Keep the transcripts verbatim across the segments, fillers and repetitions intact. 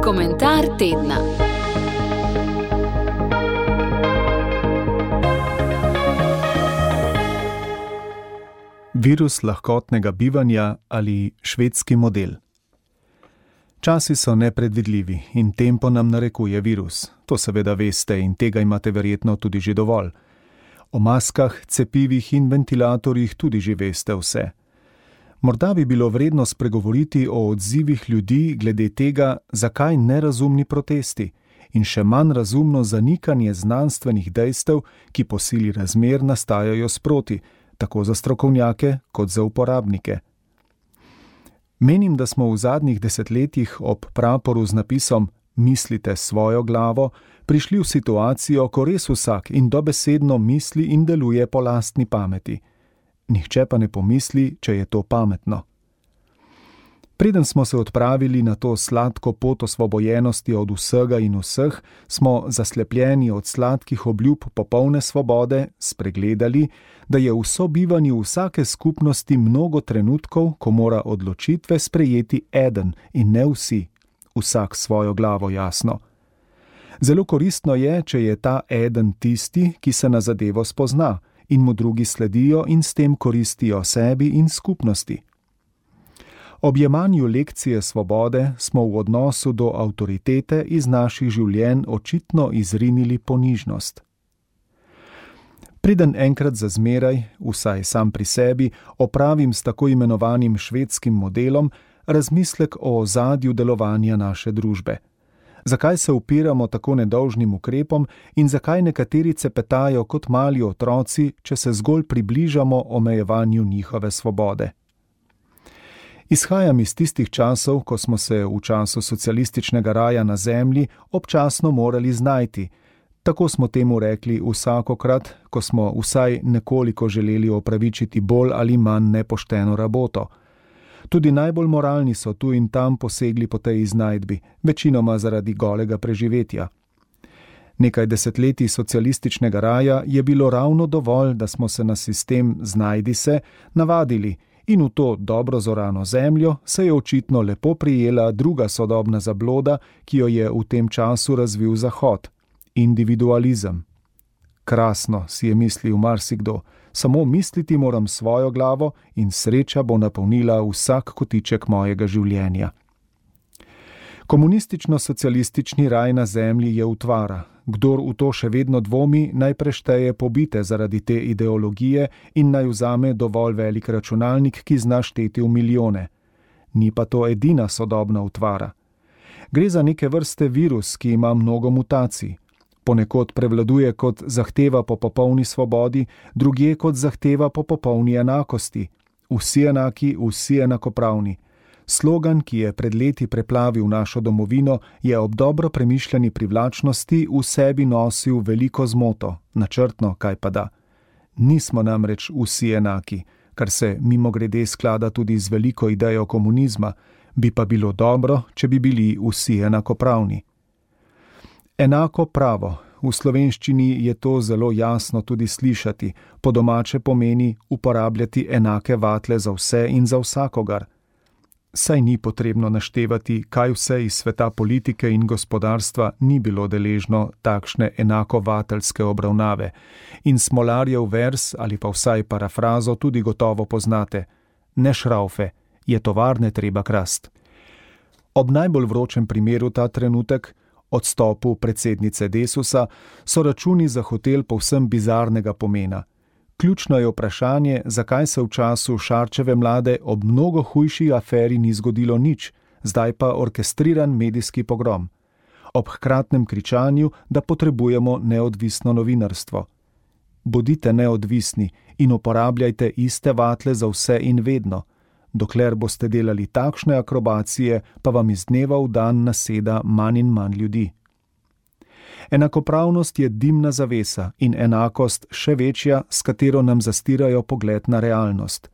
Komentar tedna. Virus lahkotnega bivanja ali švedski model. Časi so nepredvidljivi in tempo nam narekuje virus. To seveda veste in tega imate verjetno tudi že dovolj. O maskah, cepivih in ventilatorjih tudi že veste vse. Morda bi bilo vredno spregovoriti o odzivih ljudi glede tega, zakaj nerazumni protesti in še manj razumno zanikanje znanstvenih dejstev, ki po sili razmer nastajajo sproti, tako za strokovnjake kot za uporabnike. Menim, da smo v zadnjih desetletjih ob praporu z napisom "Mislite svojo glavo" prišli v situacijo, ko res vsak in dobesedno misli in deluje po lastni pameti. Nihče pa ne pomisli, če je to pametno. Preden smo se odpravili na to sladko pot osvobojenosti od vsega in vseh, smo zaslepljeni od sladkih obljub popolne svobode spregledali, da je v sobivanju vsake skupnosti mnogo trenutkov, ko mora odločitve sprejeti eden in ne vsi, vsak svojo glavo jasno. Zelo koristno je, če je ta eden tisti, ki se na zadevo spozna in mu drugi sledijo in s tem koristijo sebi in skupnosti. Ob jemanju lekcije svobode smo v odnosu do avtoritete iz naših življenj očitno izrinili ponižnost. Preden enkrat za zmeraj, vsaj sam pri sebi, opravim s tako imenovanim švedskim modelom razmislek o ozadju delovanja naše družbe. Zakaj se upiramo tako nedolžnim ukrepom in zakaj nekateri cepetajo kot mali otroci, če se zgolj približamo omejevanju njihove svobode? Izhajam iz tistih časov, ko smo se v času socialističnega raja na zemlji občasno morali znajti. Tako smo temu rekli vsakokrat, ko smo vsaj nekoliko želeli opravičiti bolj ali manj nepošteno raboto. Tudi najbolj moralni so tu in tam posegli po tej iznajdbi, večinoma zaradi golega preživetja. Nekaj desetletij socialističnega raja je bilo ravno dovolj, da smo se na sistem znajdi se navadili in v to dobro zorano zemljo se je očitno lepo prijela druga sodobna zabloda, ki jo je v tem času razvil Zahod – individualizem. Krasno, si je mislil marsikdo, samo misliti moram svojo glavo in sreča bo napolnila vsak kotiček mojega življenja. Komunistično-socialistični raj na zemlji je utvara. Kdor v to še vedno dvomi, naj prešteje pobite zaradi te ideologije in naj vzame dovolj velik računalnik, ki zna šteti v milijone. Ni pa to edina sodobna utvara. Gre za neke vrste virus, ki ima mnogo mutacij. Ponekod prevladuje kot zahteva po popolni svobodi, drugje kot zahteva po popolni enakosti. Vsi enaki, vsi enakopravni. Slogan, ki je pred leti preplavil našo domovino, je ob dobro premišljeni privlačnosti v sebi nosil veliko zmoto, načrtno kaj pa da. Nismo namreč vsi enaki, kar se mimogrede sklada tudi z veliko idejo komunizma, bi pa bilo dobro, če bi bili vsi enakopravni. Enako pravo. V slovenščini je to zelo jasno tudi slišati, po domače pomeni uporabljati enake vatle za vse in za vsakogar. Saj ni potrebno naštevati, kaj vse iz sveta politike in gospodarstva ni bilo deležno takšne enakovateljske obravnave. In Smolarjev vers ali pa vsaj parafrazo tudi gotovo poznate. Ne šraufe, je tovarne treba krast. Ob najbolj vročem primeru ta trenutek, odstopu predsednice Desusa, so računi za hotel povsem bizarnega pomena. Ključno je vprašanje, zakaj se v času Šarčeve vlade ob mnogo hujši aferi ni zgodilo nič, zdaj pa orkestriran medijski pogrom. Ob hkratnem kričanju, da potrebujemo neodvisno novinarstvo. Bodite neodvisni in uporabljajte iste vatle za vse in vedno. Dokler boste delali takšne akrobacije, pa vam iz dneva v dan naseda manj in manj ljudi. Enakopravnost je dimna zavesa in enakost še večja, s katero nam zastirajo pogled na realnost.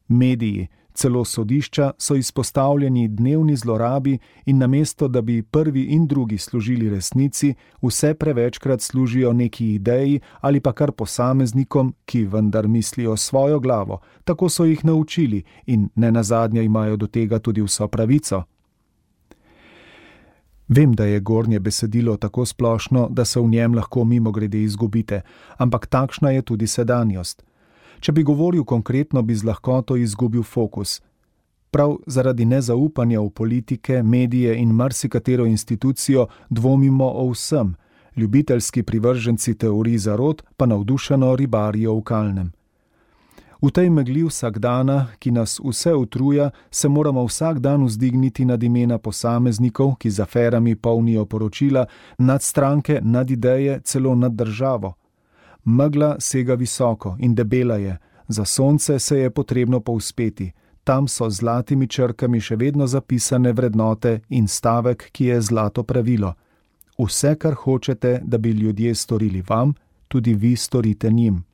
Mediji, Celo sodišča so izpostavljeni dnevni zlorabi in namesto, da bi prvi in drugi služili resnici, vse prevečkrat služijo neki ideji ali pa kar posameznikom, ki vendar mislijo svojo glavo, tako so jih naučili in nenazadnje imajo do tega tudi vso pravico. Vem, da je gornje besedilo tako splošno, da se v njem lahko mimogrede izgubite, ampak takšna je tudi sedanjost. Če bi govoril konkretno, bi z lahkoto izgubil fokus. Prav zaradi nezaupanja v politike, medije in marsikatero institucijo dvomimo o vsem, ljubiteljski privrženci teorij zarot pa navdušeno ribarijo v kalnem. V tej megli vsakdana, ki nas vse utruja, se moramo vsak dan vzdigniti nad imena posameznikov, ki z aferami polnijo poročila, nad stranke, nad ideje, celo nad državo. Megla sega visoko in debela je, za sonce se je potrebno povzpeti, tam so z zlatimi črkami še vedno zapisane vrednote in stavek, ki je zlato pravilo. Vse, kar hočete, da bi ljudje storili vam, tudi vi storite njim.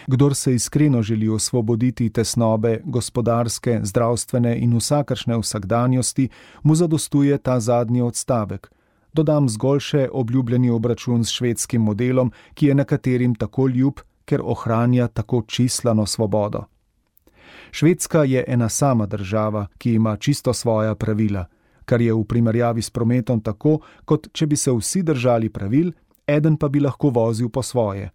Kdor se iskreno želi osvoboditi tesnobe gospodarske, zdravstvene in vsakršne vsakdanjosti, mu zadostuje ta zadnji odstavek. Dodam zgolj še obljubljeni obračun s švedskim modelom, ki je nekaterim tako ljub, ker ohranja tako čislano svobodo. Švedska je ena sama država, ki ima čisto svoja pravila, kar je v primerjavi s prometom tako, kot če bi se vsi držali pravil, eden pa bi lahko vozil po svoje.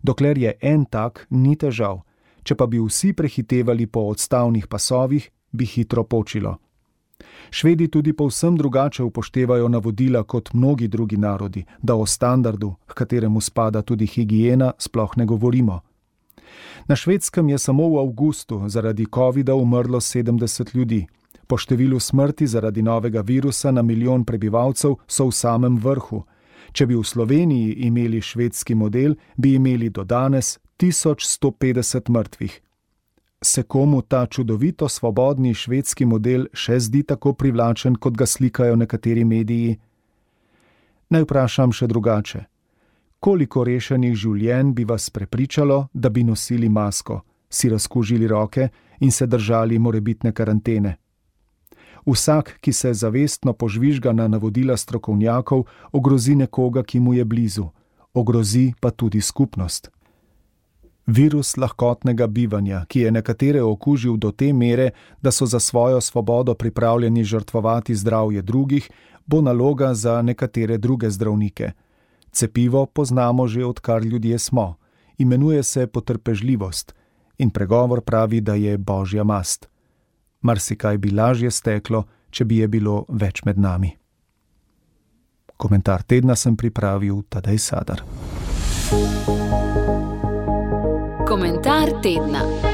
Dokler je en tak, ni težav, če pa bi vsi prehitevali po odstavnih pasovih, bi hitro počilo. Švedi tudi povsem drugače upoštevajo navodila kot mnogi drugi narodi, da o standardu, h kateremu spada tudi higiena, sploh ne govorimo. Na Švedskem je samo v avgustu zaradi covida umrlo sedemdeset ljudi. Po številu smrti zaradi novega virusa na milijon prebivalcev so v samem vrhu. Če bi v Sloveniji imeli švedski model, bi imeli do danes tisoč sto petdeset mrtvih. Se komu ta čudovito svobodni švedski model še zdi tako privlačen, kot ga slikajo nekateri mediji? Naj vprašam še drugače. Koliko rešenih življenj bi vas prepričalo, da bi nosili masko, si razkužili roke in se držali morebitne karantene? Vsak, ki se zavestno požvižga na navodila strokovnjakov, ogrozi nekoga, ki mu je blizu. Ogrozi pa tudi skupnost. Virus lahkotnega bivanja, ki je nekatere okužil do te mere, da so za svojo svobodo pripravljeni žrtvovati zdravje drugih, bo naloga za nekatere druge zdravnike. Cepivo poznamo že odkar ljudje smo. Imenuje se potrpežljivost in pregovor pravi, da je božja mast. Marsikaj bi lažje steklo, če bi je bilo več med nami. Komentar tedna sem pripravil Tadej Sadar. Komentar tedna.